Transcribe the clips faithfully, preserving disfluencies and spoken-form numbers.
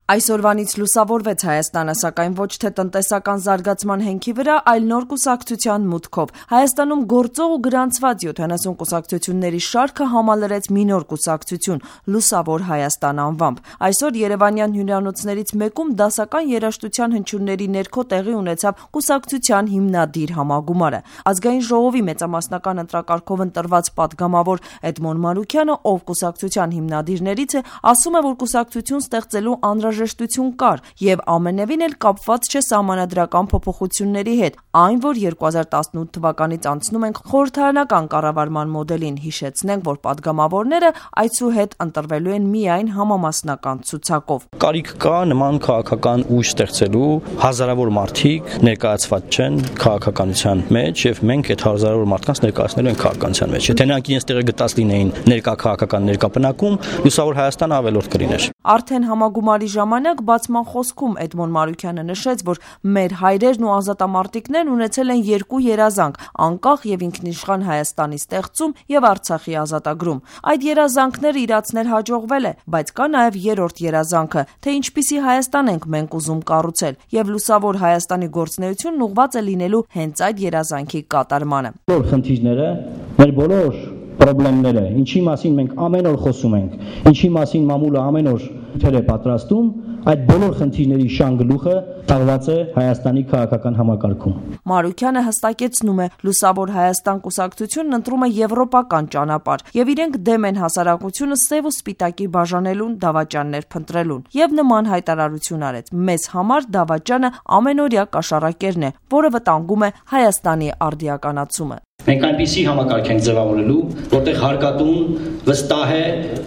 Այսօրվանից լուսավորվեց Հայաստանը, սակայն ոչ թե տնտեսական զարգացման հենքի վրա, այլ նոր կուսակցության մուտքով։ Հայաստանում գործող ու գրանցված յոթանասուն կուսակցությունների շարքը համալրեց մի նոր կուսակցություն՝ Լուսավոր Հայաստան անվամբ։ Այսօր երևանյան հյուրանոցներից մեկում դասական երաժշտության հնչյունների ներքո տեղի ունեցավ կուսակցության հիմնադիր համագումարը։ Ազգային ժողովի մեծամասնական ընտրակարգով ընտրված պատգամավոր Էդմոն Մանուկյանը, ով կուսակցության հիմնադիրներից է, ասում է, որ կուսակցություն ստեղծելու անհրաժեշտություն կար եւ ամենևին էլ կապված չէ սահմանադրական փոփոխությունների հետ, այն որ երկու հազար տասնութ թվականից անցնում ենք խորհրդարանական կառավարման մոդելին։ Հիշեցնենք, որ պատգամավորները այցու հետ ընտրվելու են միայն համամասնական ցուցակով։ Կարիք կա նման քաղաքական ուժ ստեղծելու, հազարավոր մարդիկ ներկայացված չեն քաղաքականության մեջ եւ մենք այդ հազարավոր մարդկանց ներկայացնելու ենք քաղաքականության մեջ։ Եթե նրանք իրենց տեղը գտած լինեին ներկա քաղաքական ներկա բնակում, Լուսավոր Հայաստանը ավելորդ կլիներ։ Արդեն համագումարի ժամանակ բացման խոսքում Էդմոն Մանուկյանը նշեց, որ մեր հայրերն ու ազատամարտիկներն ունեցել են երկու երազանք՝ անկախ եւ ինքնիշխան Հայաստանի ստեղծում եւ Արցախի ազատագրում։ Այդ երազանքները իրացնել հաջողվել է, բայց կա նաեւ երրորդ երազանքը, թե ինչպիսի Հայաստան ենք մենք ուզում կառուցել, եւ Լուսավոր Հայաստանի գործունեությունն ուղղված է լինելու հենց այդ երազանքի կատարմանը։ Բոլոր խնդիրները, մեր բոլոր պրոբլեմները, ինչի մասին մենք ամեն օր խոսում ենք, ինչի մասին մամուլը ամեն օր թեր է պատրաստում, այդ բոլոր խնդիրների շան գլուխը տաղված է Հայաստանի քաղաքական համակարգում։ Մանուկյանը հստակեցնում է, Լուսավոր Հայաստան կուսակցությունն ընտրում է եվրոպական ճանապարհ եւ իրենք դեմ են հասարակությունը սև ու սպիտակի բաժանելուն, դավաճաններ փնտրելուն։ Եվ նման հայտարարություն արեց. մեզ համար դավաճանը ամենօրյա կաշառակերն է, որը վտանգում է Հայաստանի արդիականացումը։ Մենք այնպիսի համակարգ ենք ձևավորելու, որտեղ հարկատուն վստահ է,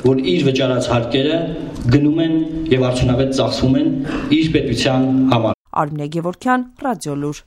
որ իր վճարած հարկերը գնում են եւ արդյունավետ ծախսվում են իր պետության համար։ Արմինե Գևորգյան, Ռադիոլուր։